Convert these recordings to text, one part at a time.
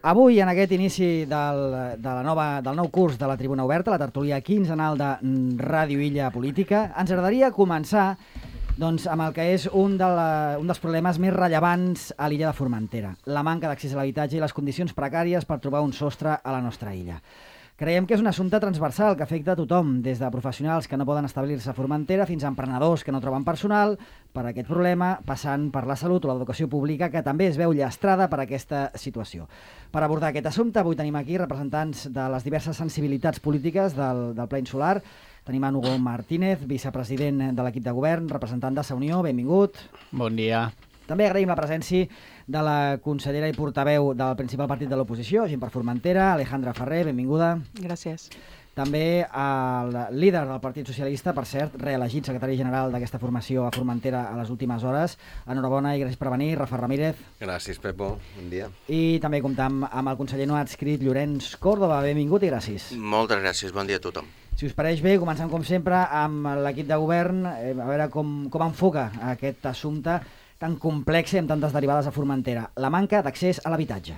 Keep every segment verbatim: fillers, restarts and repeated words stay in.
Avui, en aquest inici del, de la nova, del nou curs de la Tribuna Oberta, la tertúlia quinzenal de Ràdio Illa Política, ens agradaria començar doncs, amb el que és un, de la, un dels problemes més rellevants a l'illa de Formentera, la manca d'accés a l'habitatge i les condicions precàries per trobar un sostre a la nostra illa. Creiem que és un assumpte transversal que afecta a tothom, des de professionals que no poden establir-se a Formentera fins a emprenedors que no troben personal per aquest problema, passant per la salut o l'educació pública, que també es veu llastrada per aquesta situació. Per abordar aquest assumpte, avui tenim aquí representants de les diverses sensibilitats polítiques del, del Pla Insular. Tenim en Hugo Martínez, vicepresident de l'equip de govern, representant de Sa Unió, benvingut. Bon dia. També agraïm la presència de la consellera i portaveu del principal partit de l'oposició, Gent per Formentera, Alejandra Ferrer, benvinguda. Gràcies. També el líder del Partit Socialista, per cert, reelegit secretari general d'aquesta formació a Formentera a les últimes hores. Enhorabona i gràcies per venir, Rafa Ramírez. Gràcies, Pepo. Bon dia. I també comptam amb el conseller no adscrit, Llorenç Córdoba. Benvingut i gràcies. Moltes gràcies. Bon dia a tothom. Si us pareix bé, comencem com sempre amb l'equip de govern, eh, a veure com, com enfoca aquest assumpte tan complex y amb tantas derivadas a Formentera, la manca de acceso al habitatge.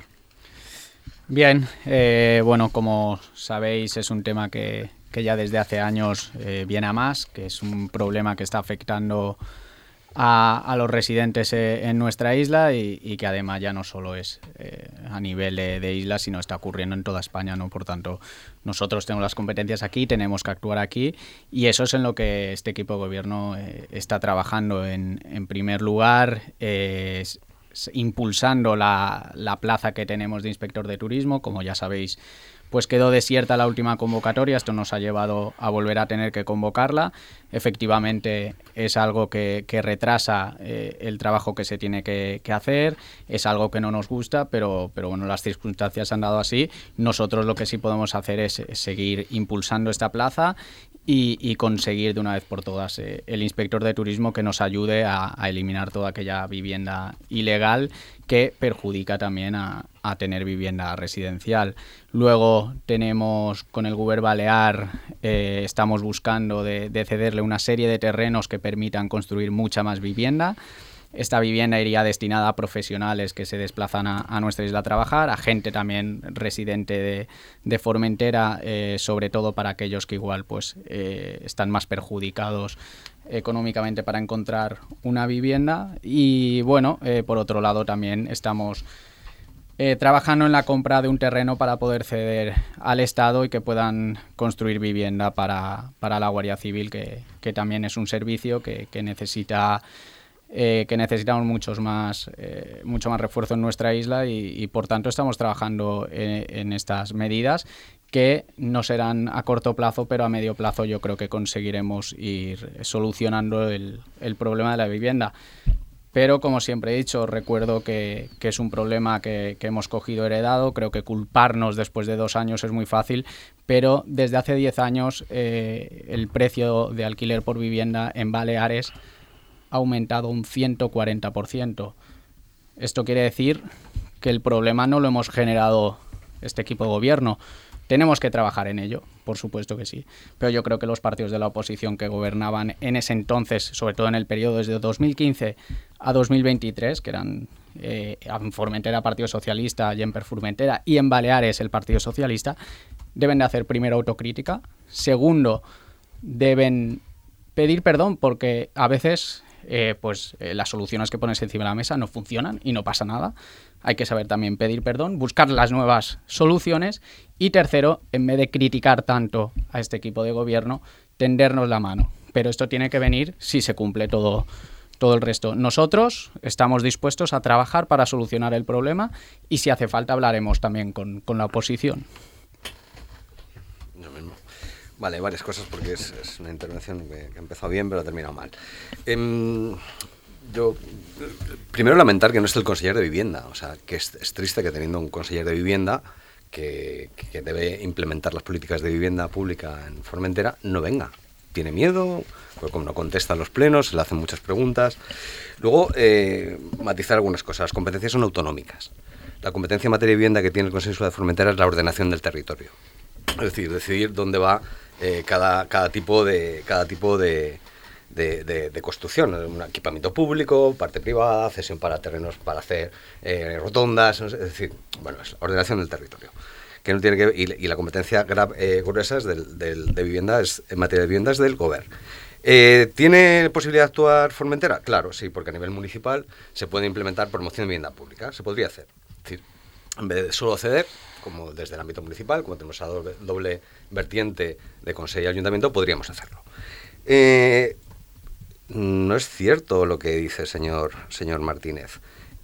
Bien, eh, bueno, como sabéis es un tema que, que ya desde hace años eh, viene a más, que es un problema que está afectando a, a los residentes eh, en nuestra isla y, y que además ya no solo es eh, a nivel de, de isla, sino está ocurriendo en toda España, ¿no? Por tanto, nosotros tenemos las competencias aquí, tenemos que actuar aquí y eso es en lo que este equipo de gobierno eh, está trabajando. En, en primer lugar, eh, impulsando la, la plaza que tenemos de inspector de turismo. Como ya sabéis, pues quedó desierta la última convocatoria, esto nos ha llevado a volver a tener que convocarla. Efectivamente es algo que, que retrasa eh, el trabajo que se tiene que, que hacer, es algo que no nos gusta, pero, pero bueno, las circunstancias han dado así. Nosotros lo que sí podemos hacer es, es seguir impulsando esta plaza y, y conseguir de una vez por todas eh, el inspector de turismo que nos ayude a, a eliminar toda aquella vivienda ilegal que perjudica también a, a tener vivienda residencial. Luego tenemos con el Govern Balear, eh, estamos buscando de, de cederle una serie de terrenos que permitan construir mucha más vivienda. Esta vivienda iría destinada a profesionales que se desplazan a, a nuestra isla a trabajar, a gente también residente de, de Formentera, eh, sobre todo para aquellos que igual pues eh, están más perjudicados económicamente para encontrar una vivienda. Y bueno, eh, por otro lado también estamos eh, trabajando en la compra de un terreno para poder ceder al Estado y que puedan construir vivienda para, para la Guardia Civil, que, que también es un servicio que, que necesita... Eh, que necesitamos muchos más, eh, mucho más refuerzo en nuestra isla y, y por tanto estamos trabajando en, en estas medidas que no serán a corto plazo, pero a medio plazo yo creo que conseguiremos ir solucionando el, el problema de la vivienda. Pero como siempre he dicho, recuerdo que, que es un problema que, que hemos cogido heredado. Creo que culparnos después de dos años es muy fácil, pero desde hace diez años eh, el precio de alquiler por vivienda en Baleares ha aumentado un ciento cuarenta por ciento. Esto quiere decir que el problema no lo hemos generado este equipo de gobierno. Tenemos que trabajar en ello, por supuesto que sí, pero yo creo que los partidos de la oposición que gobernaban en ese entonces, sobre todo en el periodo desde dos mil quince a dos mil veintitrés, que eran eh, en Formentera Partido Socialista, Gent per Formentera y en Baleares el Partido Socialista, deben de hacer primero autocrítica, segundo, deben pedir perdón porque a veces... Eh, pues eh, las soluciones que pones encima de la mesa no funcionan y no pasa nada. Hay que saber también pedir perdón, buscar las nuevas soluciones y tercero, en vez de criticar tanto a este equipo de gobierno, tendernos la mano. Pero esto tiene que venir si se cumple todo, todo el resto. Nosotros estamos dispuestos a trabajar para solucionar el problema y si hace falta hablaremos también con, con la oposición. Yo mismo. Vale, varias cosas porque es, es una intervención que, que ha empezado bien pero ha terminado mal. Eh, yo, primero lamentar que no esté el conseller de Vivienda, o sea, que es, es triste que teniendo un conseller de Vivienda que, que debe implementar las políticas de vivienda pública en Formentera, no venga. Tiene miedo, pues como no contesta en los plenos, se le hacen muchas preguntas. Luego, eh, matizar algunas cosas. Las competencias son autonómicas. La competencia en materia de vivienda que tiene el Consejo Insular de Formentera es la ordenación del territorio. Es decir, decidir dónde va eh, cada, cada tipo de cada tipo de, de, de, de construcción, un equipamiento público, parte privada, cesión para terrenos para hacer eh, rotondas, es decir, bueno, es la ordenación del territorio. Que no tiene que y, y la competencia gra, eh, gruesa es del, del, de vivienda, es, en materia de vivienda es del Gobierno. Eh, ¿Tiene posibilidad de actuar Formentera? Claro, sí, porque a nivel municipal se puede implementar promoción de vivienda pública, se podría hacer. Es decir, en vez de solo ceder, como desde el ámbito municipal, como tenemos esa doble, doble vertiente de Consejo y Ayuntamiento, podríamos hacerlo. Eh, no es cierto lo que dice el señor, señor Martínez.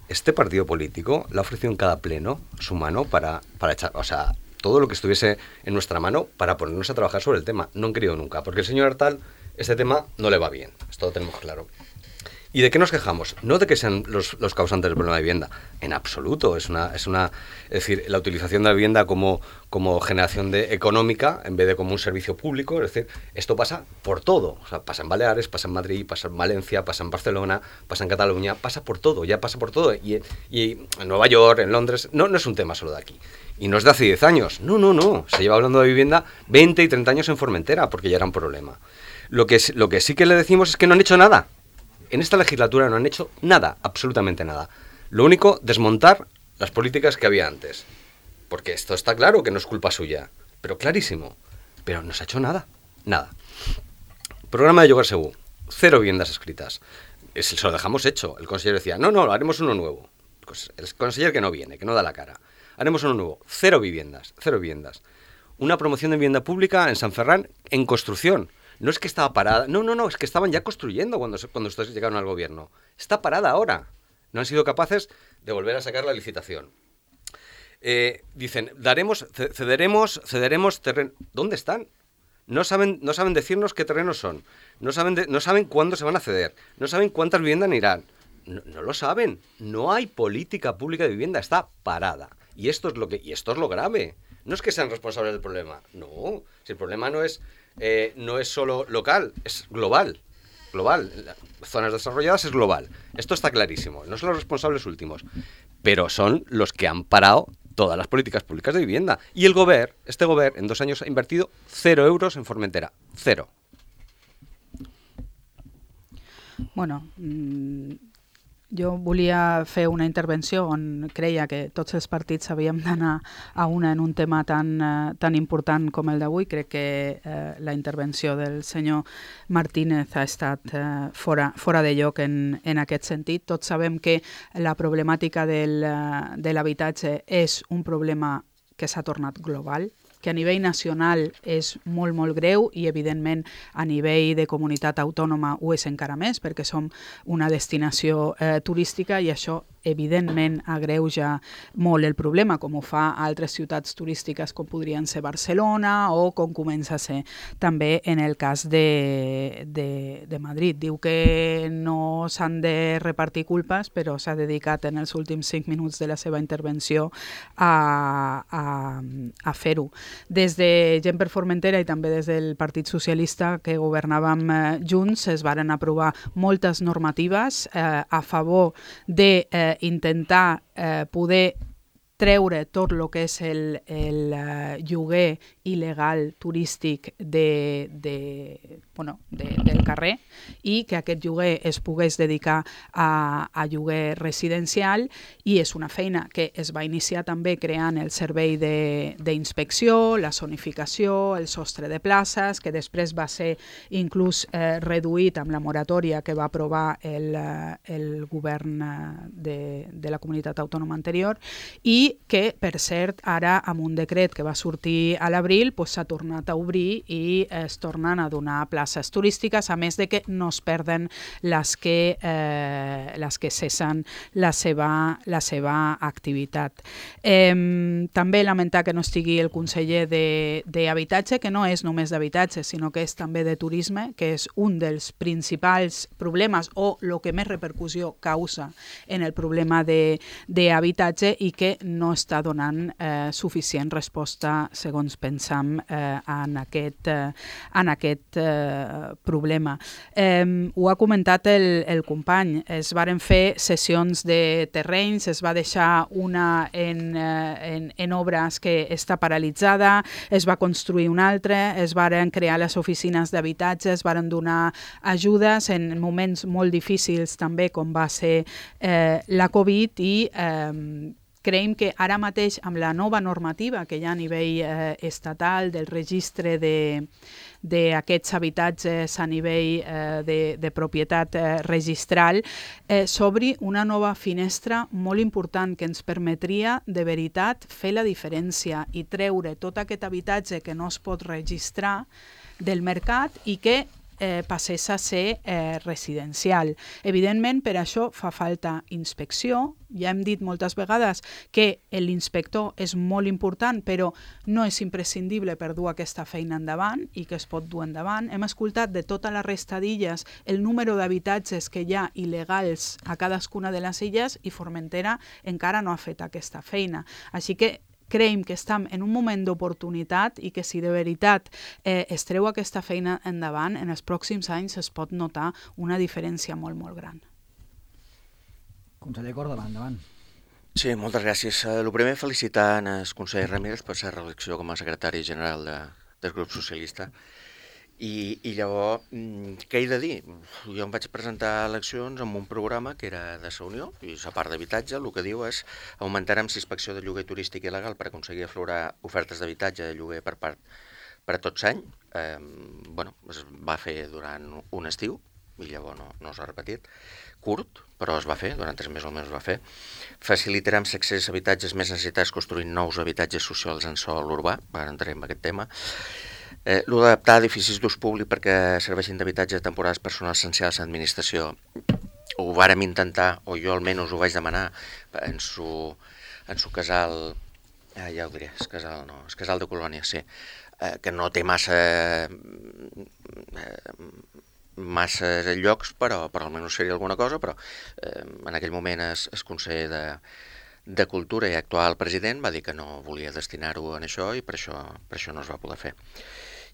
Este partido político le ha ofrecido en cada pleno su mano para, para echar, o sea, todo lo que estuviese en nuestra mano para ponernos a trabajar sobre el tema. No han querido nunca, porque el señor Artal, este tema no le va bien, esto lo tenemos claro. ¿Y de qué nos quejamos? No de que sean los, los causantes del problema de vivienda, en absoluto. Es una, es una, es decir, la utilización de la vivienda como, como generación de, económica en vez de como un servicio público. Es decir, esto pasa por todo. O sea, pasa en Baleares, pasa en Madrid, pasa en Valencia, pasa en Barcelona, pasa en Cataluña, pasa por todo, ya pasa por todo. Y, y en Nueva York, en Londres, no, no es un tema solo de aquí. Y no es de hace diez años. No, no, no. Se lleva hablando de vivienda veinte y treinta años en Formentera, porque ya era un problema. Lo que, lo que sí que le decimos es que no han hecho nada. En esta legislatura no han hecho nada, absolutamente nada. Lo único, desmontar las políticas que había antes. Porque esto está claro que no es culpa suya, pero clarísimo. Pero no se ha hecho nada, nada. Programa de Lloguer Segur, cero viviendas escritas. Se lo dejamos hecho. El consejero decía, no, no, haremos uno nuevo. El consejero que no viene, que no da la cara. Haremos uno nuevo, cero viviendas, cero viviendas. Una promoción de vivienda pública en San Ferran en construcción. No es que estaba parada, no, no, no, es que estaban ya construyendo cuando, cuando ustedes llegaron al gobierno. Está parada ahora. No han sido capaces de volver a sacar la licitación. Eh, dicen, daremos, cederemos, cederemos terreno. ¿Dónde están? No saben, no saben decirnos qué terrenos son. No saben, de, no saben cuándo se van a ceder. No saben cuántas viviendas irán. No, no lo saben. No hay política pública de vivienda. Está parada. Y esto es lo que, y esto es lo grave. No es que sean responsables del problema. No. Si el problema no es Eh, no es solo local, es global. Global. Zonas desarrolladas es global. Esto está clarísimo. No son los responsables últimos, pero son los que han parado todas las políticas públicas de vivienda. Y el Gobierno, este Gobierno, en dos años ha invertido cero euros en Formentera. Cero. Bueno, mmm... jo volia fer una intervenció on creia que tots els partits havíem d'anar a una en un tema tan, eh, tan important com el d'avui. Crec que eh, la intervenció del senyor Martínez ha estat eh, fora, fora de lloc en, en aquest sentit. Tots sabem que la problemàtica del, uh, de l'habitatge és un problema que s'ha tornat global, que a nivell nacional és molt, molt greu i, evidentment, a nivell de comunitat autònoma ho és encara més perquè som una destinació eh, turística i això, evidentment, agreuja molt el problema, com ho fa a altres ciutats turístiques com podrien ser Barcelona o com comença a ser també en el cas de, de, de Madrid. Diu que no s'han de repartir culpes, però s'ha dedicat en els últims cinc minuts de la seva intervenció a, a, a fer-ho. Des de Gent per Formentera i també des del Partit Socialista que governàvem eh, junts es varen aprovar moltes normatives eh, a favor de eh, intentar eh, poder treure tot el que és el, el uh, lloguer il·legal turístic de, de, bueno, de, del carrer i que aquest lloguer es pogués dedicar a, a lloguer residencial, i és una feina que es va iniciar també creant el servei d'inspecció, la zonificació, el sostre de places, que després va ser inclús eh, reduït amb la moratòria que va aprovar el, el govern de, de la comunitat autònoma anterior, i que, per cert, ara amb un decret que va sortir a l'abril pues, s'ha tornat a obrir i es tornen a donar places turístiques, a més de que no es perden les que, eh, les que cessen la seva, la seva activitat. Eh, també lamentar que no estigui el conseller d'Habitatge, que no és només d'habitatge, sinó que és també de turisme, que és un dels principals problemes o el que més repercussió causa en el problema d'habitatge i que no no està donant eh, suficient resposta, segons pensam, eh, en aquest, eh, en aquest eh, problema. Eh, ho ha comentat el, el company, es varen fer sessions de terrenys, es va deixar una en, eh, en, en obres que està paralitzada, es va construir una altra, es varen crear les oficines d'habitatge, es varen donar ajudes en moments molt difícils també, com va ser eh, la Covid, i eh, creiem que ara mateix amb la nova normativa que hi ha a nivell eh, estatal del registre de d'aquests habitatges a nivell eh, de, de propietat eh, registral, eh, s'obri una nova finestra molt important que ens permetria de veritat fer la diferència i treure tot aquest habitatge que no es pot registrar del mercat i que Eh, passés a ser eh, residencial. Evidentment, per això fa falta inspecció. Ja hem dit moltes vegades que l'inspector és molt important, però no és imprescindible per dur aquesta feina endavant i que es pot dur endavant. Hem escoltat de tota la resta d'illes el número d'habitatges que hi ha il·legals a cadascuna de les illes i Formentera encara no ha fet aquesta feina. Així que creiem que estem en un moment d'oportunitat i que si de veritat eh, es treu aquesta feina endavant, en els pròxims anys es pot notar una diferència molt, molt gran. Conseller Córdoba, endavant. Sí, moltes gràcies. El primer, felicitar el conseller Ramírez per la reelecció com a secretari general de, del grup socialista. I, i llavors, què he de dir? Jo em vaig presentar a eleccions amb un programa que era de la Unió, i la part d'habitatge el que diu és augmentarem la inspecció de lloguer turístic il·legal per aconseguir aflorar ofertes d'habitatge de lloguer per part per a tot l'any. Eh, bueno, es va fer durant un estiu, i llavors no, no s'ha repetit, curt, però es va fer, durant tres mesos almenys es va fer. Facilitarem l'accés a habitatges més necessitats construint nous habitatges socials en sòl urbà, ara entrem en aquest tema. Eh, L'ho d'adaptar edificis d'ús públic perquè serveixin d'habitatge de temporades personals essencials a l'administració. Ho vàrem intentar, o jo almenys ho vaig demanar, en su, en su casal, eh, ja ho diré, el casal, no, el casal de Colònia, sí, eh, que no té massa, eh, massa llocs, però, però almenys seria alguna cosa, però eh, en aquell moment el, el conseller de, de Cultura i actual president va dir que no volia destinar-ho en això i per això, per això no es va poder fer.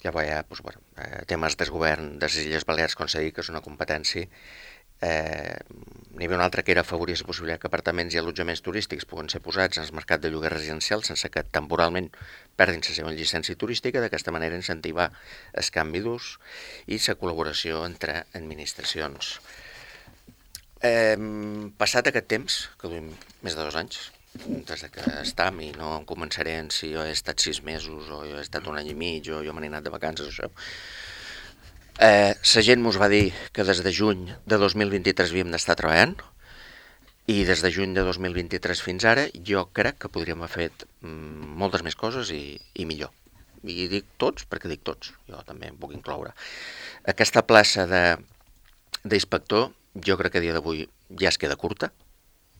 Llavors hi ha doncs, bueno, eh, temes del govern de les Illes Balears, com s'ha dit, que és una competència. Eh, N'hi havia una altra que era afavorir la possibilitat que apartaments i allotjaments turístics puguen ser posats en el mercat de lloguer residencial sense que temporalment perdin la seva llicència turística, d'aquesta manera incentivar el canvi d'ús i la col·laboració entre administracions. Eh, passat aquest temps, que duim més de dos anys, des que estam, i no em començaré en si jo he estat sis mesos o jo he estat un any i mig o jo me n'he anat de vacances, això. Eh, la gent mos va dir que des de juny de dos mil vint-i-tres havíem d'estar treballant i des de juny de dos mil vint-i-tres fins ara jo crec que podríem haver fet mm, moltes més coses i, i millor. I dic tots perquè dic tots, jo també em puc incloure. Aquesta plaça d'inspector jo crec que a dia d'avui ja es queda curta.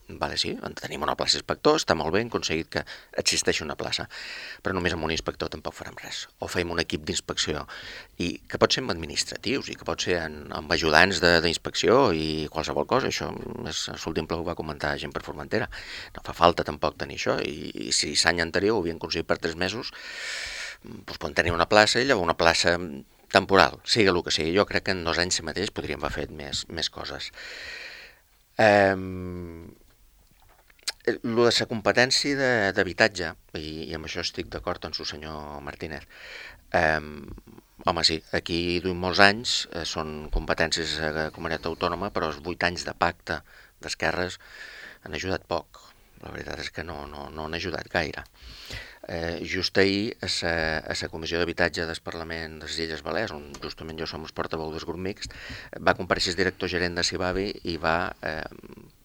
Vale, sí, tenim una plaça d'inspector, està molt bé, hem aconseguit que existeixi una plaça, però només amb un inspector tampoc farem res. O fem un equip d'inspecció, i que pot ser amb administratius, i que pot ser en, amb ajudants d'inspecció i qualsevol cosa. Això és l'últim ple ho va comentar gent per Formentera. No fa falta tampoc tenir això, i, i si l'any anterior ho havien aconseguit per tres mesos, doncs poden tenir una plaça i llavors una plaça temporal, sigui el que sigui. Jo crec que en dos anys mateix podríem haver fet més, més coses. Eh... Lo de la competència d'habitatge, i, i amb això estic d'acord amb el senyor Martínez, eh, home sí, aquí duim molts anys, eh, són competències de la comunitat autònoma, però els vuit anys de pacte d'esquerres han ajudat poc. La veritat és que no, no, no han ajudat gaire. Eh, just ahir, a la Comissió d'Habitatge del Parlament de les Illes Balears, on justament jo som el portaveu del grup mixt, va compareixer el director gerent de Cibavi i va eh,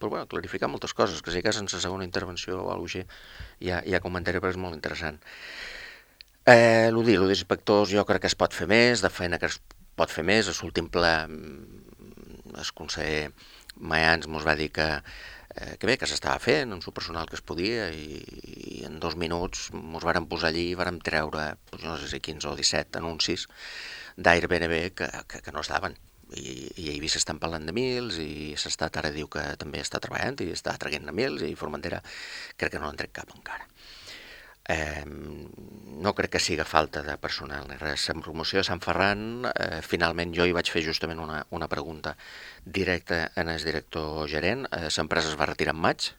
però, bueno, clarificar moltes coses, que si cas en la segona intervenció o alguna cosa així ja, ja comentaré, però és molt interessant. Eh, el dir, el d'inspectors jo crec que es pot fer més, de feina que es pot fer més. A l'últim ple el conseller Mayans mos va dir que Eh, que bé, que s'estava fent amb el personal que es podia i, i en dos minuts ens vàrem posar allí i vàrem treure, doncs no sé si quinze o disset anuncis d'Airbnb que, que, que no estaven. i, i a Eivissa estan parlant de Mils, i s'Estat ara diu que també està treballant i està traient a Mils, i Formentera crec que no l'han tret cap encara. Eh, no crec que siga falta de personal ni res. En promoció de Sant Ferran, eh, finalment jo hi vaig fer justament una, una pregunta directa en el director gerent. Eh, l'empresa es va retirar en maig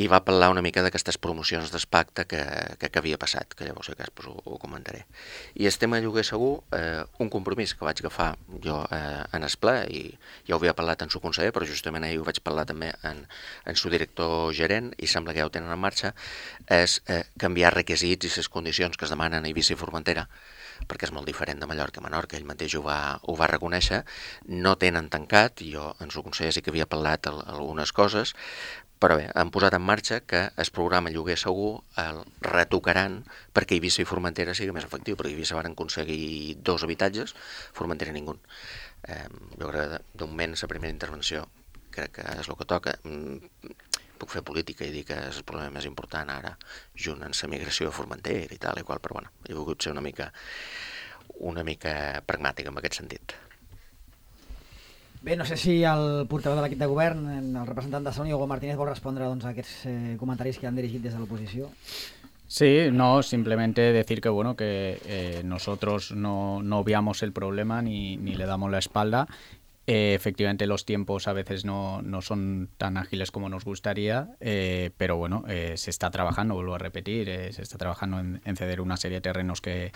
i va parlar una mica d'aquestes promocions d'espacte que, que, que havia passat, que llavors si cas pues, ho, ho comentaré. I el tema lloguer segur, eh, un compromís que vaig agafar jo eh, en el ple, i ja ho havia parlat en su conseller, però justament ahir ho vaig parlar també en, en su director gerent, i sembla que ja ho tenen en marxa, és eh, canviar requisits i les condicions que es demanen a Eivissa i Formentera, perquè és molt diferent de Mallorca a Menorca, ell mateix ho va, ho va reconèixer, no tenen tancat, i jo en su conseller sí que havia parlat el, algunes coses, però bé, han posat en marxa que el programa Lloguer Segur el retocaran perquè Eivissa i Formentera sigui més efectiu, perquè Eivissa van aconseguir dos habitatges, Formentera ningú. Eh, jo crec que de moment la primera intervenció crec que és el que toca. Puc fer política i dir que és el problema més important ara, junt amb la migració de Formentera i tal i qual, però bueno, he volgut ser una mica, una mica pragmàtic en aquest sentit. Bé, no sé si el portaveu de l'equip de govern, el representant de Salut, Hugo Martínez, vol respondre doncs, a aquests eh, comentaris que han dirigit des de l'oposició. Sí, no, simplemente decir que bueno que eh, nosotros no, no obviamos el problema ni, ni le damos la espalda. Eh, efectivamente los tiempos a veces no, no son tan ágiles como nos gustaría, eh, pero bueno, eh, se está trabajando, vuelvo a repetir, eh, se está trabajando en, en ceder una serie de terrenos que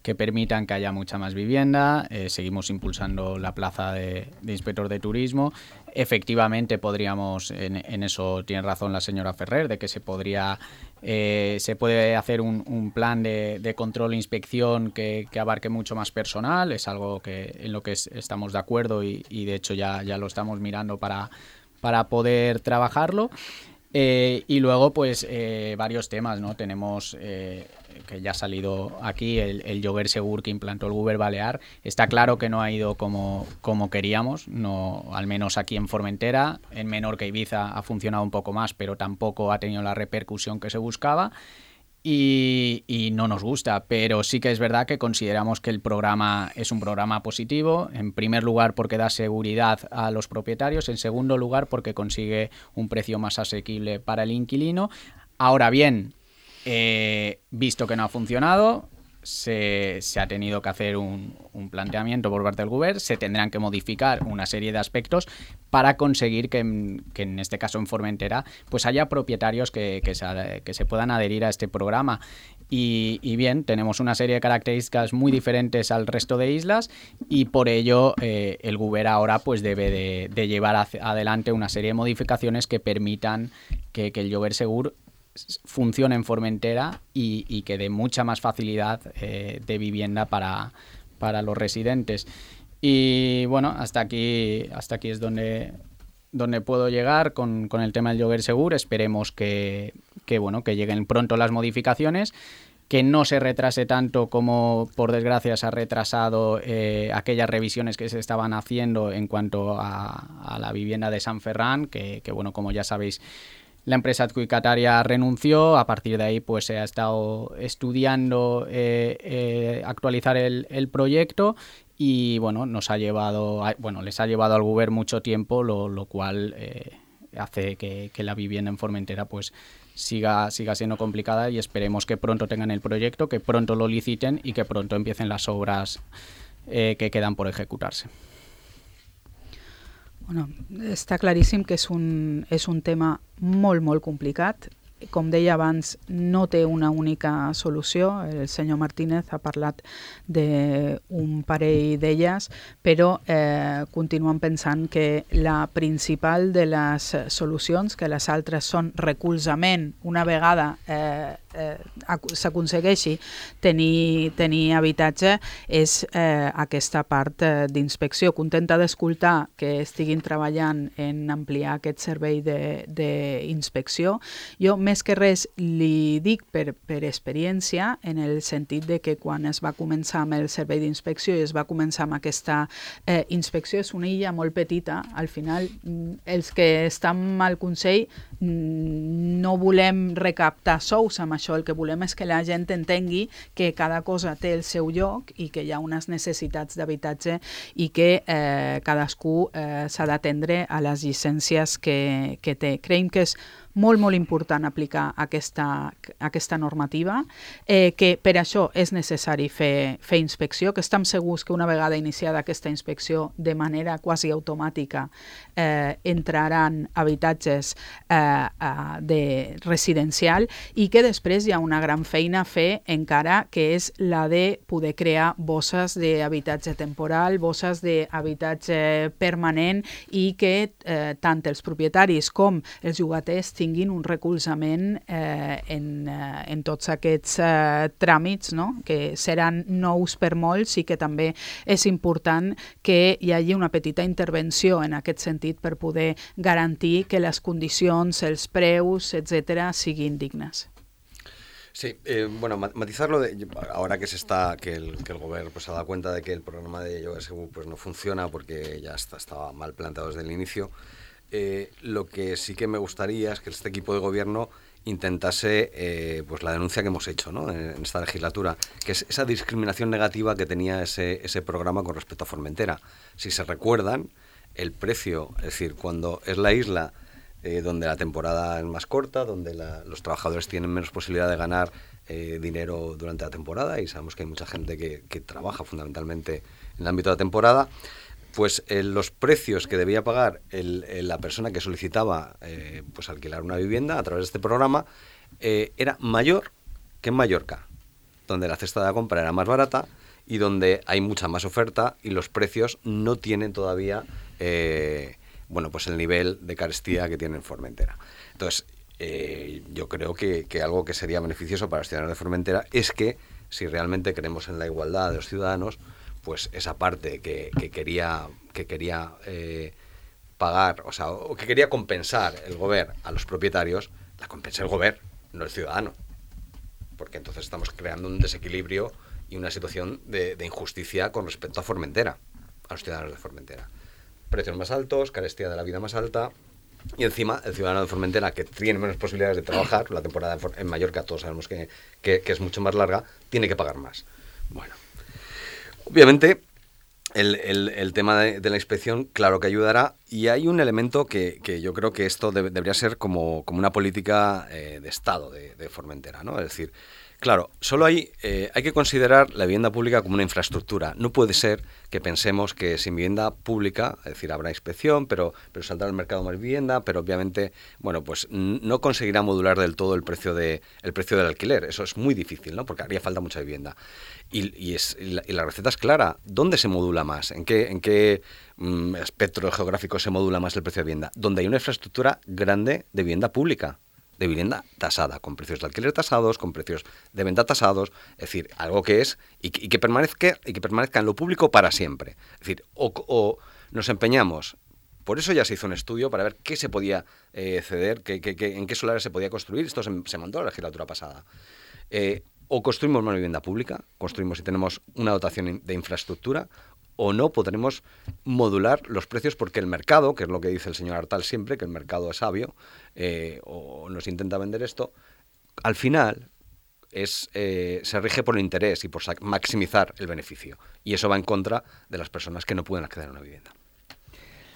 que permitan que haya mucha más vivienda. Eh, seguimos impulsando la plaza de, de inspector de turismo. Efectivamente podríamos, en, en eso tiene razón la señora Ferrer, de que se podría eh, se puede hacer un, un plan de, de control e inspección que, que abarque mucho más personal. Es algo que en lo que es, estamos de acuerdo y, y de hecho ya, ya lo estamos mirando para, para poder trabajarlo. Eh, y luego, pues, eh, varios temas, ¿no? Tenemos, eh, que ya ha salido aquí, el, el Lloguer Segur que implantó el Govern Balear. Está claro que no ha ido como, como queríamos, no, al menos aquí en Formentera. En Menorca y Ibiza ha funcionado un poco más, pero tampoco ha tenido la repercusión que se buscaba. Y, y no nos gusta, pero sí que es verdad que consideramos que el programa es un programa positivo, en primer lugar porque da seguridad a los propietarios, en segundo lugar porque consigue un precio más asequible para el inquilino. Ahora bien, eh, visto que no ha funcionado, se, se ha tenido que hacer un, un planteamiento por parte del Govern, se tendrán que modificar una serie de aspectos para conseguir que, que en este caso en Formentera pues haya propietarios que, que, se, que se puedan adherir a este programa. Y, y bien, tenemos una serie de características muy diferentes al resto de islas y por ello eh, el Govern ahora pues debe de, de llevar hacia adelante una serie de modificaciones que permitan que, que el Lloguer Segur funcione en Formentera y, y que dé mucha más facilidad eh, de vivienda para, para los residentes. Y bueno, hasta aquí, hasta aquí es donde, donde puedo llegar con, con el tema del Lloguer Segur. Esperemos que, que, bueno, que lleguen pronto las modificaciones, que no se retrase tanto como por desgracia se ha retrasado eh, aquellas revisiones que se estaban haciendo en cuanto a, a la vivienda de San Ferran, que, que bueno, como ya sabéis, la empresa adjudicataria renunció. A partir de ahí pues se ha estado estudiando eh, eh, actualizar el, el proyecto y bueno, nos ha llevado, bueno, les ha llevado al Govern mucho tiempo, lo, lo cual eh, hace que, que la vivienda en Formentera pues siga, siga siendo complicada y esperemos que pronto tengan el proyecto, que pronto lo liciten y que pronto empiecen las obras eh, que quedan por ejecutarse. Bueno, està claríssim que és un, és un tema molt, molt complicat. Com deia abans, no té una única solució. El senyor Martínez ha parlat d'un parell d'elles, però eh, continuem pensant que la principal de les solucions, que les altres són recolzament, una vegada eh, eh, s'aconsegueixi tenir, tenir habitatge, és eh, aquesta part eh, d'inspecció. Contenta d'escoltar que estiguin treballant en ampliar aquest servei d'inspecció. Jo, més que res, li dic per, per experiència, en el sentit de que quan es va començar amb el servei d'inspecció i es va començar amb aquesta eh, inspecció, és una illa molt petita. Al final, els que estan al Consell no volem recaptar sous amb això, això el que volem és que la gent entengui que cada cosa té el seu lloc i que hi ha unes necessitats d'habitatge i que eh, cadascú eh, s'ha d'atendre a les llicències que, que té. Creiem que és molt, molt important aplicar aquesta, aquesta normativa, eh, que per això és necessari fer, fer inspecció, que estem segurs que una vegada iniciada aquesta inspecció de manera quasi automàtica eh, entraran habitatges eh, eh, de residencial i que després hi ha una gran feina a fer encara, que és la de poder crear bosses d'habitatge temporal, bosses d'habitatge permanent i que eh, tant els propietaris com els llogaters tinguin un recolzament eh, en, eh, en tots aquests eh, tràmits, no? Que seran nous per molts i que també és important que hi hagi una petita intervenció en aquest sentit per poder garantir que les condicions, els preus, etcètera, siguin dignes. Sí, eh, bueno, matizarlo, de, ahora que se está, que el, que el gobierno pues, se ha dado cuenta de que el programa de Lloguer Segur pues, no funciona porque ya está, estaba mal planteado desde el inicio. Eh, lo que sí que me gustaría es que este equipo de gobierno intentase eh, pues la denuncia que hemos hecho, ¿no? en, en esta legislatura, que es esa discriminación negativa que tenía ese, ese programa con respecto a Formentera. Si se recuerdan, el precio, es decir, cuando es la isla eh, donde la temporada es más corta, donde la, los trabajadores tienen menos posibilidad de ganar eh, dinero durante la temporada, y sabemos que hay mucha gente que, que trabaja fundamentalmente en el ámbito de la temporada, pues eh, los precios que debía pagar el, el, la persona que solicitaba eh, pues alquilar una vivienda a través de este programa eh, era mayor que en Mallorca, donde la cesta de la compra era más barata y donde hay mucha más oferta y los precios no tienen todavía eh, bueno, pues el nivel de carestía que tiene en Formentera. Entonces, eh, yo creo que, que algo que sería beneficioso para los ciudadanos de Formentera es que, si realmente creemos en la igualdad de los ciudadanos, pues esa parte que, que quería, que quería eh, pagar, o sea, o que quería compensar el gobierno a los propietarios, la compensa el gobierno, no el ciudadano. Porque entonces estamos creando un desequilibrio y una situación de, de injusticia con respecto a Formentera, a los ciudadanos de Formentera. Precios más altos, carestía de la vida más alta, y encima el ciudadano de Formentera, que tiene menos posibilidades de trabajar, la temporada en Mallorca todos sabemos que, que, que es mucho más larga, tiene que pagar más. Bueno. Obviamente, el, el, el tema de, de la inspección, claro que ayudará, y hay un elemento que, que yo creo que esto debe, debería ser como, como una política eh, de Estado de, de Formentera, ¿no? Es decir, claro, solo hay, eh, hay que considerar la vivienda pública como una infraestructura. No puede ser que pensemos que sin vivienda pública, es decir, habrá inspección, pero, pero saldrá al mercado más vivienda, pero obviamente, bueno, pues no conseguirá modular del todo el precio, de, el precio del alquiler. Eso es muy difícil, ¿no? Porque haría falta mucha vivienda. Y, y, es, y, la, y la receta es clara. ¿Dónde se modula más? ¿En qué, en qué mm, espectro geográfico se modula más el precio de vivienda? Donde hay una infraestructura grande de vivienda pública, de vivienda tasada, con precios de alquiler tasados, con precios de venta tasados, es decir, algo que es y que, y que permanezca y que permanezca en lo público para siempre. Es decir, o, o nos empeñamos, por eso ya se hizo un estudio para ver qué se podía eh, ceder, qué, qué, qué, en qué solares se podía construir, esto se, se mandó a la legislatura pasada. Eh, o construimos una vivienda pública, construimos y tenemos una dotación de infraestructura, o no podremos modular los precios porque el mercado, que es lo que dice el señor Artal siempre, que el mercado es sabio, eh, o nos intenta vender esto, al final es, eh, se rige por el interés y por maximizar el beneficio. Y eso va en contra de las personas que no pueden acceder a una vivienda.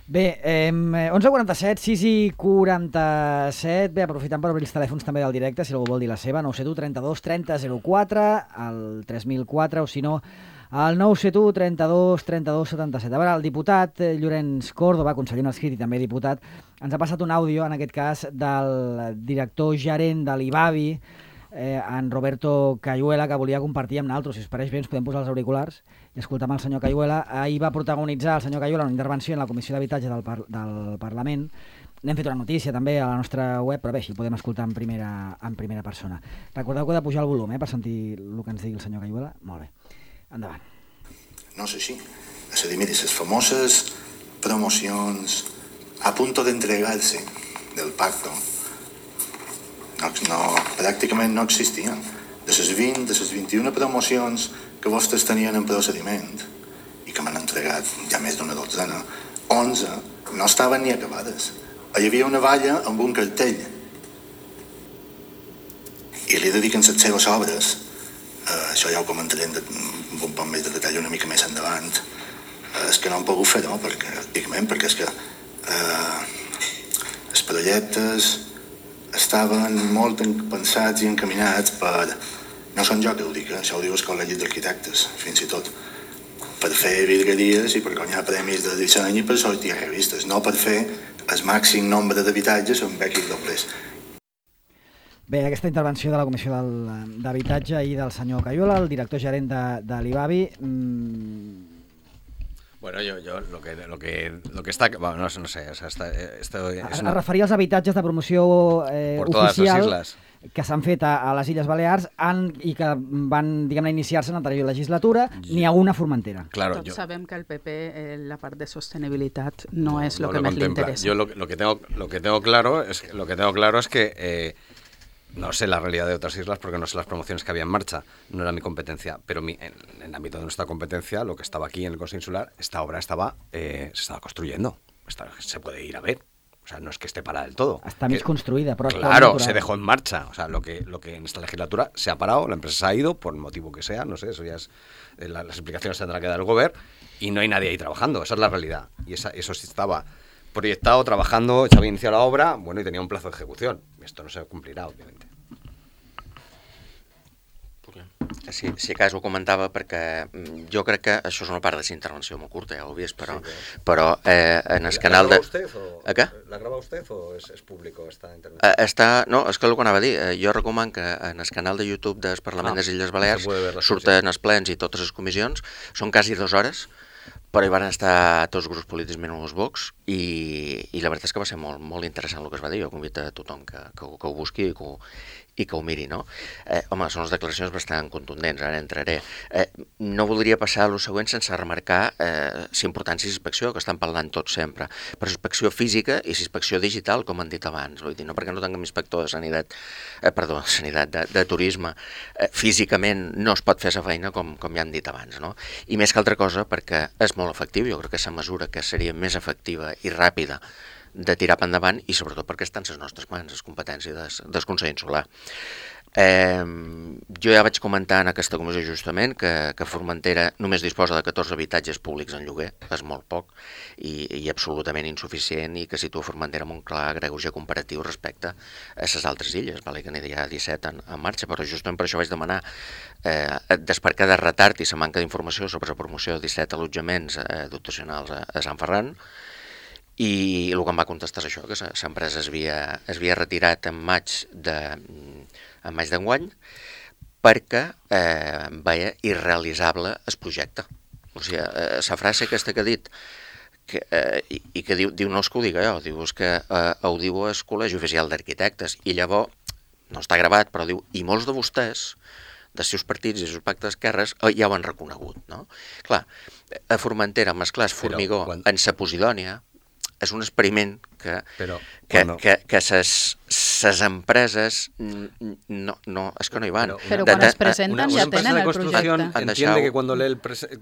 Bé, eh, onze quaranta-set, sis i quaranta-set, bé, aprofitant per obrir els telèfons també del directe, si algú vol dir la seva, nou set u trenta-dos trenta zero quatre, al tres mil quatre, o si no, al nou set u trenta-dos trenta-dos setanta-set. A veure, el diputat eh, Llorenç Córdoba, conseller no escrit i també diputat, ens ha passat un àudio, en aquest cas, del director gerent de l'I B A B I, eh, en Roberto Cayuela, que volia compartir amb nosaltres. Si us pareix bé, ens podem posar els auriculars i escoltar amb el senyor Cayuela. Ahir va protagonitzar el senyor Cayuela una intervenció en la Comissió d'Habitatge del, par del Parlament. N'hem fet una notícia també a la nostra web, però bé, així podem escoltar en primera, en primera persona. Recordeu que heu de pujar el volum, eh, per sentir el que ens digui el senyor Cayuela. Molt bé. Endavant. No és així. És a dir, miri, les famoses promocions a punto d'entregar-se del pacto no, no, pràcticament no existien. De les vint, de les vint-i-una promocions que vostès tenien en procediment i que m'han entregat ja més d'una dotzena, onze no estaven ni acabades. Hi havia una valla amb un cartell i li dediquen les seves obres, eh, això ja ho comentaré amb un poc més de detall una mica més endavant, eh, és que no han pogut fer, no? Perquè, pràcticament, perquè és que eh, els projectes estaven molt pensats i encaminats per... No són jo que ho dic, eh? Això ho diu el Col·legi d'Arquitectes, fins i tot, per fer virgueries i per guanyar premis de disseny i per sortir a revistes, no per fer el màxim nombre d'habitatges amb equis dobles. Bé, aquesta intervenció de la Comissió d'Habitatge i del senyor Cayola, el director gerent de, de l'I B A B I. Mmm... Bueno, yo, yo lo que lo que lo que está, bueno, no, no sé, o sea, está, esto es es una... referia als habitatges de promoció eh, por todas oficial las islas que s'han fet a, a les Illes Balears han, i que van, diguem-ne, iniciar-se en l'anterior legislatura, n'hi ha una a Formentera. Claro, Tots yo... sabem que el P P, eh, la part de sostenibilitat, no, no és el no que més li interessa. Yo lo, lo que tengo lo que tengo claro es lo que tengo claro es que eh, no sé la realidad de otras islas porque no sé las promociones que había en marcha, no era mi competencia, pero mi, en, en el ámbito de nuestra competencia, lo que estaba aquí en el Consejo Insular, esta obra estaba eh, se estaba construyendo, Está, se puede ir a ver. O sea, no es que esté parada del todo. Está más construida. Pero claro, se dejó en marcha. O sea, lo que, lo que en esta legislatura se ha parado, la empresa se ha ido, por el motivo que sea, no sé, eso ya es... Eh, la, las explicaciones tendrá que dar el gobierno y no hay nadie ahí trabajando. Esa es la realidad. Y esa, eso sí estaba proyectado, trabajando, se había iniciado la obra, bueno, y tenía un plazo de ejecución. Esto no se cumplirá, obviamente. Sí, si a cas ho comentava perquè jo crec que això és una part de la intervenció molt curta, ja ho he vist, però, sí, però eh, en el canal de... ¿La graba usted o, ¿La graba usted o es, es público esta intervenció? Eh, està, no, és que el que anava a dir, eh, jo recomano que en el canal de YouTube del Parlament ah, de les Illes Balears surten els plens i totes les comissions, són quasi dues hores, però hi van estar tots els grups polítics menys els Vox i, i la veritat és que va ser molt, molt interessant el que es va dir. Jo convido a tothom que, que, que ho busqui i que ho, i que ho miri, no? Eh, home, són les declaracions bastant contundents, ara entraré. Eh, no voldria passar a lo següent sense remarcar eh, la importància de l'inspecció, que estan parlant tots sempre, però inspecció física i inspecció digital, com han dit abans. Vull dir, no perquè no tinguem inspector de sanitat, eh, perdó, sanitat de, de turisme, eh, físicament no es pot fer la feina com, com ja han dit abans, no? I més que altra cosa perquè és molt efectiu, jo crec que la mesura que seria més efectiva i ràpida de tirar per endavant i sobretot perquè estan les nostres mans, les competències del, del Consell Insular. Eh, jo ja vaig comentar en aquesta comissió justament que, que Formentera només disposa de catorze habitatges públics en lloguer, és molt poc i, i absolutament insuficient i que situa Formentera amb un clar greuge comparatiu respecte a les altres illes, vale, que n'hi ha disset en, en marxa, però justament per això vaig demanar eh, despercar de retard i la manca d'informació sobre la promoció de disset allotjaments eh, dotacionals a, a Sant Ferran. I el que em va contestar és això, que l'empresa es havia, es havia retirat en maig de, en maig d'enguany perquè eh, veia irrealitzable el projecte. O sigui, eh, la frase aquesta que ha dit, que, eh, i, i que diu, diu no és que ho diga jo, diu és que eh, ho diu el Col·legi Oficial d'Arquitectes, i llavors, no està gravat, però diu, i molts de vostès, dels seus partits i dels seus pactes d'esquerres, eh, ja ho han reconegut, no? Clar, a Formentera, amb esclars Formigó, quan... en sa Posidònia, és un experiment que, Però, que, no. que, que ses, ses empreses no, no, és que no hi van. Pero cuando es presentan ya tienen el proyecto. Entiende que cuando lee el,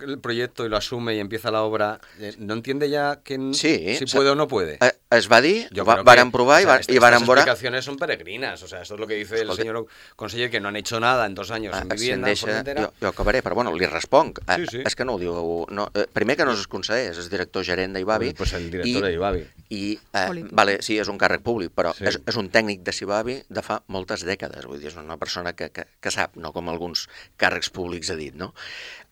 el proyecto y lo asume y empieza la obra, eh, no entiende ya que sí, si puede o no puede. Eh, es va dir, va, varen provar o sea, y, y varen veure... Estas explicaciones son peregrinas, o sea, esto es lo que dice Escolta. el señor conseller, que no han hecho nada en dos años ah, en vivienda. Si deixa, jo, jo acabaré, però bueno, li responc. Sí, sí. És que no ho diu... No, eh, primer que no és el conseller, és el director gerent d'I B A B I. Pues el director d'I B A B I. I, eh, vale, sí, és un càrrec públic, però sí. és, és un tècnic de I B A B I de fa moltes dècades, vull dir, és una persona que, que, que sap, no com alguns càrrecs públics ha dit, no?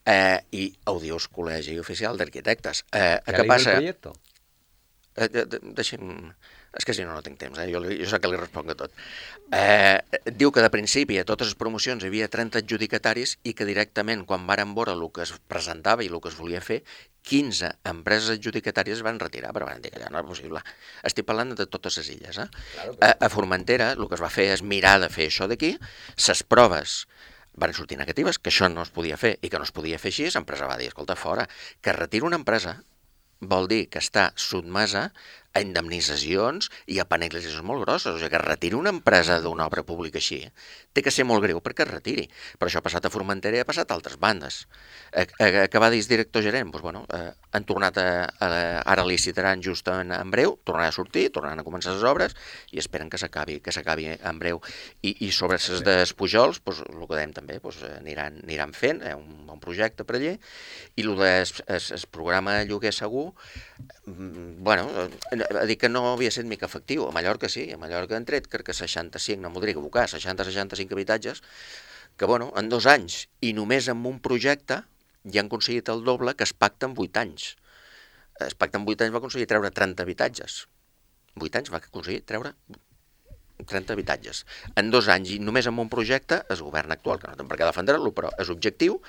Eh, I ho diu el Col·legi Oficial d'Arquitectes. Eh, ¿Qué ha passa? El proyecto? Eh, de, de, deixi'm... És que si no, no tinc temps, eh? jo, jo sé que li responc a tot. Eh, diu que de principi a totes les promocions hi havia trenta adjudicataris i que directament, quan varen veure el que es presentava i el que es volia fer, quinze empreses adjudicatàries van retirar, però van dir que ja no era possible. Estic parlant de totes les illes. Eh? Claro, a, a Formentera el que es va fer és mirar de fer això d'aquí, ses proves van sortir negatives, que això no es podia fer i que no es podia fer així, l'empresa va dir, escolta, fora, que retira una empresa vol dir que està sotmesa a indemnitzacions i a penalitzacions molt grosses. O sigui, que es retiri una empresa d'una obra pública així té que ser molt greu perquè es retiri. Però això ha passat a Formentera i ha passat a altres bandes. Acabar de director gerent, doncs, bueno, eh, han tornat a, a, ara licitaran just en, en breu, tornaran a sortir, tornaran a començar les obres i esperen que s'acabi que s'acabi en breu. I, i sobre les des Pujols, doncs, el que dèiem també, doncs, aniran, aniran fent, eh, un bon projecte per allà, i el del programa lloguer segur, bueno, a dir que no havia estat mica efectiu. A Mallorca sí, a Mallorca han tret, crec que seixanta-cinc, no m'ho diria equivocar, seixanta a seixanta-cinc habitatges, que bueno, en dos anys, i només amb un projecte, ja han aconseguit el doble que es pacta en vuit anys. Es pacta en vuit anys va aconseguir treure trenta habitatges. vuit anys va aconseguir treure trenta habitatges. En dos anys, i només amb un projecte, el govern actual, que no té per què defendre-lo, però és objectiu,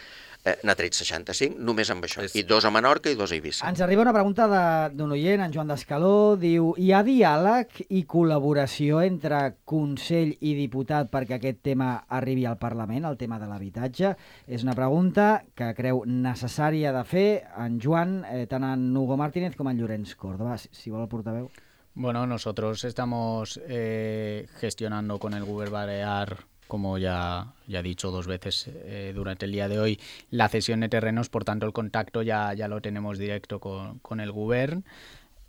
eh, n'ha tret seixanta-cinc, només amb això. I dos a Menorca i dos a Eivissa. Ens arriba una pregunta d'un oient, en Joan d'Escaló, diu: hi ha diàleg i col·laboració entre Consell i diputat perquè aquest tema arribi al Parlament, el tema de l'habitatge? És una pregunta que creu necessària de fer en Joan, eh, tant en Hugo Martínez com en Llorenç Córdoba. Si, si vol el portaveu. Bueno, nosotros estamos eh, gestionando con el Gobierno Balear, como ya, ya he dicho dos veces eh, durante el día de hoy, la cesión de terrenos, por tanto el contacto ya, ya lo tenemos directo con, con el Gobierno.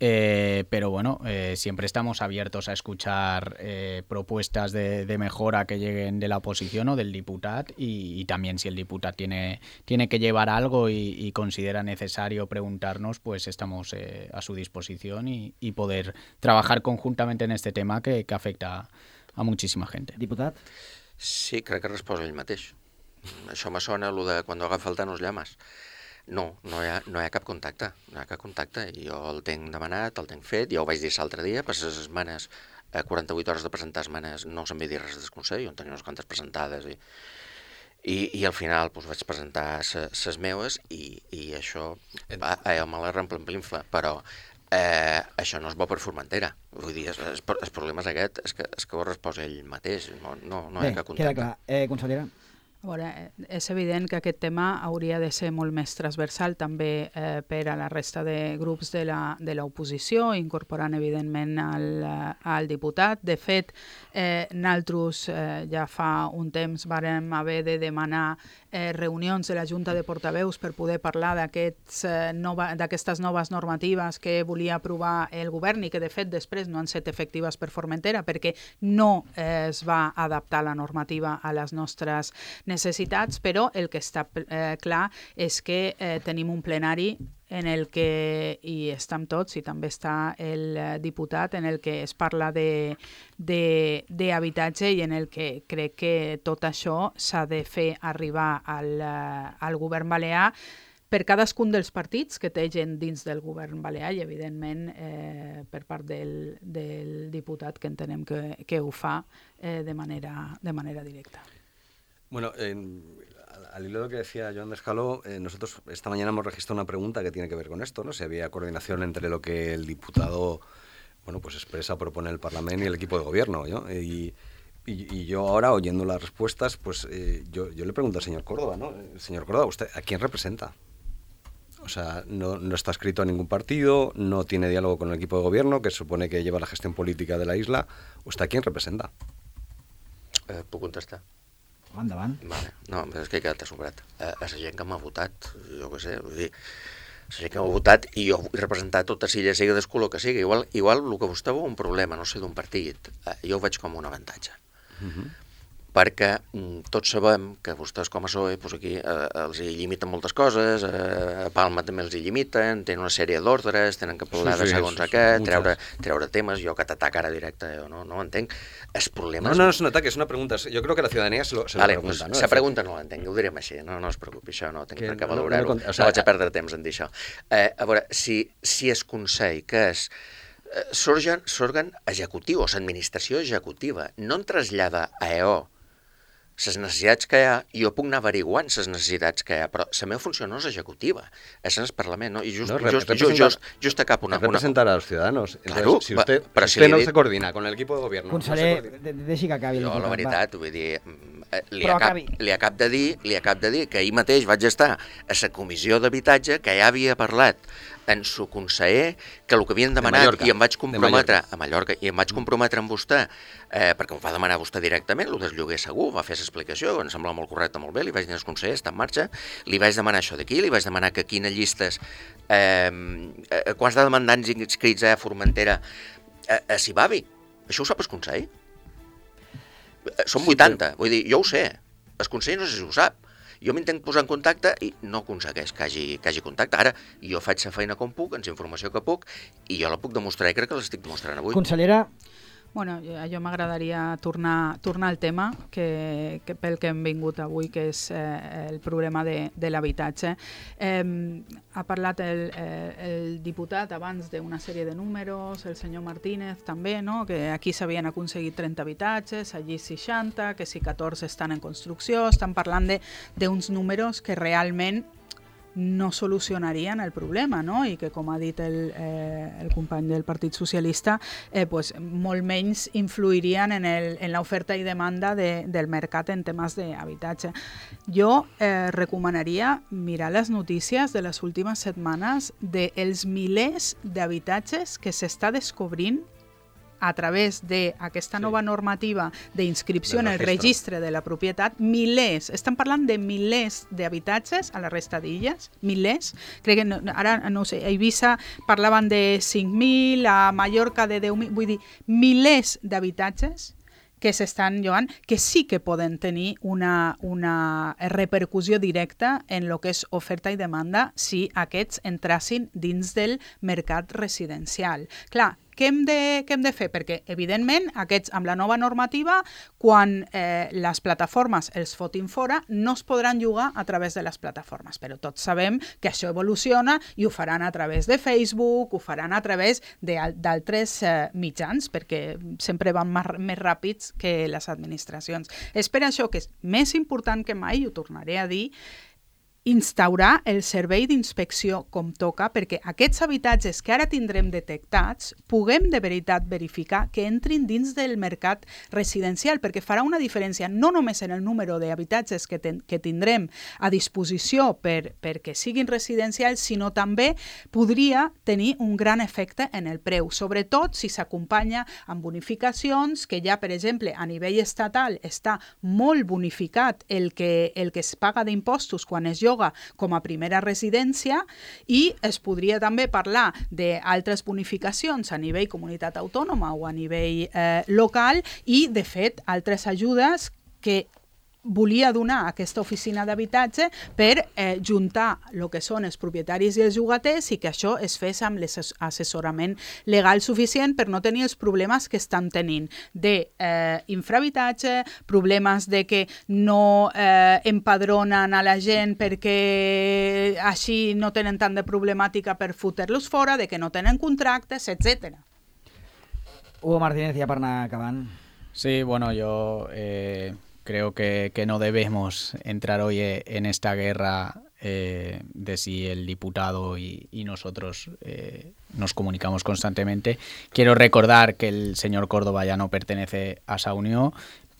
Eh, pero bueno, eh, siempre estamos abiertos a escuchar eh, propuestas de, de mejora que lleguen de la oposición o del diputat y, y también si el diputat tiene, tiene que llevar algo y, y considera necesario preguntarnos, pues estamos eh, a su disposición y, y poder trabajar conjuntamente en este tema que, que afecta a muchísima gente. Diputat? Sí, crec que resposa ell mateix. Això me sona el de quan agafa el Thanos llames. No, no hi, ha, no hi ha cap contacte, no hi ha cap contacte. Jo el tenc demanat, el tenc fet, ja ho vaig dir l'altre dia, per les esmenes, a quaranta-vuit hores de presentar esmenes no se'm va dir res del Consell, jo en tenia unes quantes presentades i, i, i al final doncs, vaig presentar les meves i, i això va, eh, me la remplinfla, però eh, això no és bo per Formentera. Vull dir, el, el problema és aquest, és que, és que ho resposa ell mateix, no, no, no hi ha cap contacte. Queda clar. Eh, consellera? A veure, és evident que aquest tema hauria de ser molt més transversal també eh, per a la resta de grups de la, de l'oposició, incorporant evidentment al, al diputat. De fet, eh, nosaltres eh, ja fa un temps vàrem haver de demanar eh, reunions de la Junta de Portaveus per poder parlar d'aquestes eh, nova, noves normatives que volia aprovar el govern i que de fet després no han estat efectives per Formentera perquè no eh, es va adaptar la normativa a les nostres necessitats, però el que està eh, clar és que eh, tenim un plenari en el que hi estem tots i també està el diputat en el que es parla d'habitatge i en el que crec que tot això s'ha de fer arribar al, al govern balear per cadascun dels partits que té gent dins del govern balear i, evidentment, eh, per part del, del diputat que entenem que, que ho fa eh, de manera, de manera directa. Bueno, eh, al hilo de lo que decía Joan d'Escaló, eh, nosotros esta mañana hemos registrado una pregunta que tiene que ver con esto, ¿no? Si había coordinación entre lo que el diputado, bueno, pues expresa, propone el Parlamento y el equipo de gobierno, ¿no? Y, y, y yo ahora, oyendo las respuestas, pues eh, yo, yo le pregunto al señor Córdoba, ¿no? Señor Córdoba, ¿usted a quién representa? O sea, no, no está escrito a ningún partido, no tiene diálogo con el equipo de gobierno, que se supone que lleva la gestión política de la isla. ¿Usted a quién representa? Eh, puc contestar? Endavant. Vale. No, és que he quedat assombrat. A, a la gent que m'ha votat, jo què sé, vull dir, la gent que m'ha votat i jo vull representar tota Silla, sigui del color que sigui. Igual, igual el que vostè veu un problema, no sé, d'un partit, eh, jo ho veig com un avantatge. Uh-huh. Perquè mm, tots sabem que vostès com a P S O E doncs aquí eh, els hi limiten moltes coses, eh, a Palma també els hi limiten, tenen una sèrie d'ordres, tenen que parlar sí, sí, de segons a què, treure, treure temes, jo que t'ataca ara directe, jo no, no ho entenc. Els problemes... No, no, és un ataque, és una pregunta. Jo crec que la ciutadania se lo, se vale, lo pregunta. Pues, ¿no? la pregunta no l'entenc, ho direm així, no, no es preocupi, això no tinc per què no, valorar-ho, no, no, o sea, no vaig a perdre temps en dir això. Eh, a veure, si, si es Consell, que és eh, l'òrgan executiu, o l'administració executiva, no en trasllada a E O les necessitats que hi ha, jo puc anar averiguant les necessitats que hi ha, però la meva funció no és executiva, és en el Parlament, ¿no? Y just, no, just, just, just, just acá una... Representar a los ciudadanos. Claro, Entonces, si usted, però si si usted no dit... se coordina con el equipo de gobierno... Conseller, no deixi que acabi el diputat. Jo, la veritat, vull dir, li acab, li, acab de dir, li acab de dir que ahir mateix vaig estar a la comissió d'habitatge que ja havia parlat en su conseller que el que havien demanat, i em vaig comprometre a Mallorca, i em vaig comprometre amb vostè, eh, perquè ho va demanar vostè directament, el del lloguer segur, va fer l'explicació, em sembla molt correcte, molt bé, li vaig dir als consellers, està en marxa, li vaig demanar això d'aquí, li vaig demanar que quines llistes, eh, eh, quants de demandants inscrits a Formentera a, a Sibavi, això ho sap el Consell? Són vuitanta, vull dir, jo ho sé, el Consell no sé si ho sap. Jo m'intenc posar en contacte i no aconsegueix que hagi, que hagi contacte. Ara, jo faig la feina com puc, ens informació que puc, i jo la puc demostrar i crec que l'estic demostrant avui. Consellera... Bueno, a jo m'agradaria tornar, tornar al tema que, que pel que hem vingut avui, que és eh, el problema de, de l'habitatge. Eh, ha parlat el, eh, el diputat abans d'una sèrie de números, el senyor Martínez també, no? Que aquí s'havien aconseguit trenta habitatges, allí seixanta, que si catorze estan en construcció, estan parlant d'uns números que realment no solucionarien el problema, no? I que, com ha dit el, eh, el company del Partit Socialista, eh, pues, molt menys influirien en, el, en l'oferta i demanda de, del mercat en temes d'habitatge. Jo eh, recomanaria mirar les notícies de les últimes setmanes dels milers d'habitatges que s'està descobrint a través d'aquesta sí. nova normativa d'inscripció en el registre de la propietat, milers, estan parlant de milers d'habitatges a la resta d'illes, milers, crec que no, ara, no sé, a Eivissa parlaven de cinc mil, a Mallorca de deu mil, vull dir, milers d'habitatges que s'estan llogant, que sí que poden tenir una, una repercussió directa en el que és oferta i demanda si aquests entrassin dins del mercat residencial. Clar, què hem de, què hem de fer? Perquè, evidentment, aquests, amb la nova normativa, quan eh, les plataformes els fotin fora, no es podran llogar a través de les plataformes. Però tots sabem que això evoluciona i ho faran a través de Facebook, ho faran a través d'altres eh, mitjans, perquè sempre van més, més ràpids que les administracions. És per això que és més important que mai, i ho tornaré a dir, instaurar el servei d'inspecció com toca perquè aquests habitatges que ara tindrem detectats puguem de veritat verificar que entrin dins del mercat residencial, perquè farà una diferència no només en el número d'habitatges que, ten, que tindrem a disposició per, perquè siguin residencials, sinó també podria tenir un gran efecte en el preu, sobretot si s'acompanya amb bonificacions, que ja, per exemple, a nivell estatal està molt bonificat el que, el que es paga d'impostos quan es lloga com a primera residència, i es podria també parlar d'altres bonificacions a nivell comunitat autònoma o a nivell eh, local i, de fet, altres ajudes que volia donar aquesta oficina d'habitatge per eh, juntar el que són els propietaris i els llogaters i que això es fes amb l'assessorament legal suficient per no tenir els problemes que estan tenint d'infrahabitatge, eh, problemes de que no eh, empadronen a la gent perquè així no tenen tant de problemàtica per fotre-los fora, de que no tenen contractes, etcètera. Hugo Martínez, ja per anar acabant. Sí, bueno, yo... Eh... Creo que, que no debemos entrar hoy en esta guerra eh, de si el diputado y, y nosotros eh, nos comunicamos constantemente. Quiero recordar que el señor Córdoba ya no pertenece a esa unión,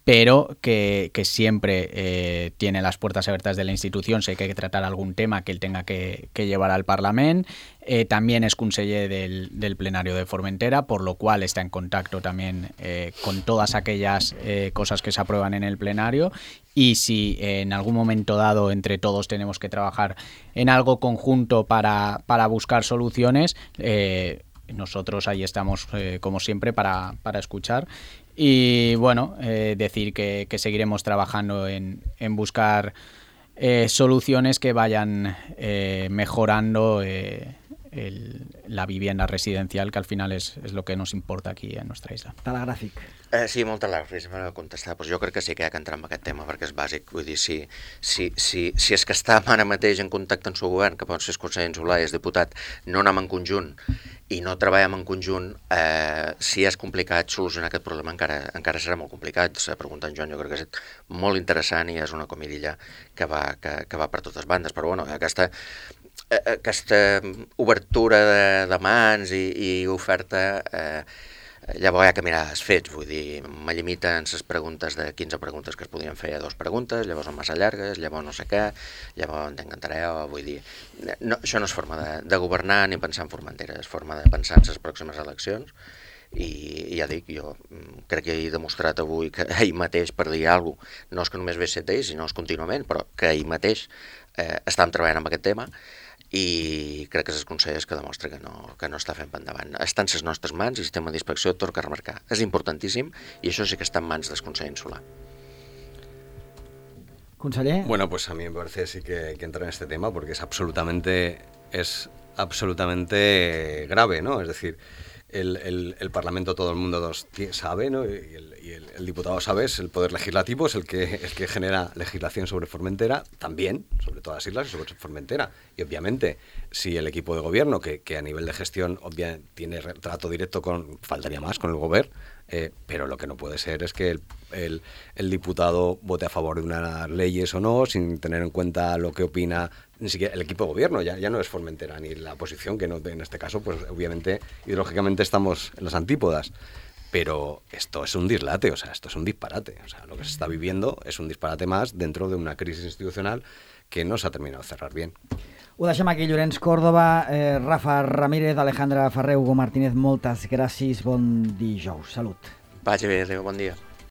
pero que, que siempre eh, tiene las puertas abiertas de la institución. Si hay que tratar algún tema que él tenga que, que llevar al Parlament. Eh, también es conseller del, del plenario de Formentera, por lo cual está en contacto también eh, con todas aquellas eh, cosas que se aprueban en el plenario. Y si eh, en algún momento dado entre todos tenemos que trabajar en algo conjunto para, para buscar soluciones, eh, nosotros ahí estamos, eh, como siempre, para, para escuchar. Y bueno, eh, decir que, que seguiremos trabajando en, en buscar eh, soluciones que vayan eh, mejorando eh, el, la vivienda residencial, que al final és, és lo que nos importa aquí en nuestra isla. Telegràfic. Eh, sí, molt telègrafis per contestar. Pues jo crec que sí que hi ha que entrar en aquest tema, perquè és bàsic. Vull dir, si, si, si, si és que està ara mateix en contacte amb el seu govern, que pot ser el conseller Solà i el diputat, no anem en conjunt i no treballem en conjunt, eh, si és complicat solucionar aquest problema, encara, encara serà molt complicat. La pregunta en Joan jo crec que és molt interessant i és una comidilla que va, que, que va per totes bandes. Però bueno, aquesta... aquesta obertura de, de mans i, i oferta eh, llavors hi ha que mirar els fets, vull dir, me limiten les preguntes de quinze preguntes que es podien fer a dues preguntes, llavors són massa llargues, llavors no sé què, llavors t'encantaré, vull dir, no, això no és forma de, de governar ni pensar en Formentera, és forma de pensar en les pròximes eleccions. I, i ja dic, jo crec que he demostrat avui que ahir mateix, per dir alguna cosa, no és que només ve set d'ells, sinó és contínuament, però que ahir mateix eh, estan treballant amb aquest tema i crec que és el Consell que demostra que no, que no està fent endavant. Està en les nostres mans i el sistema d'inspecció tot que remarcar. És importantíssim i això sí que està en mans del Consell Insular. Conseller. Bueno, pues a mí me parece sí que, que entra en este tema porque es absolutamente, es absolutamente grave, ¿no? Es decir, El, el, el Parlamento, todo el mundo sabe, ¿no? Y, el, y el, el diputado sabe, es el poder legislativo, es el que, el que genera legislación sobre Formentera, también, sobre todas las islas y sobre Formentera. Y obviamente, si el equipo de gobierno, que, que a nivel de gestión obviamente tiene trato directo con, faltaría más, con el gobierno, eh, pero lo que no puede ser es que el, el, el diputado vote a favor de unas leyes o no, sin tener en cuenta lo que opina ni siquiera el equipo de gobierno, ya, ya no es Formentera ni la oposición, que no, en este caso, pues obviamente, ideológicamente estamos en las antípodas. Pero esto es un dislate, o sea, esto es un disparate. O sea, lo que se está viviendo es un disparate más dentro de una crisis institucional que no se ha terminado de cerrar bien. Ho deixem aquí, Llorenç Córdoba, eh, Rafa Ramírez, Alejandra Ferrer, Hugo Martínez, moltes gràcies, bon dijous, salut. Vagi bé, adéu, bon dia.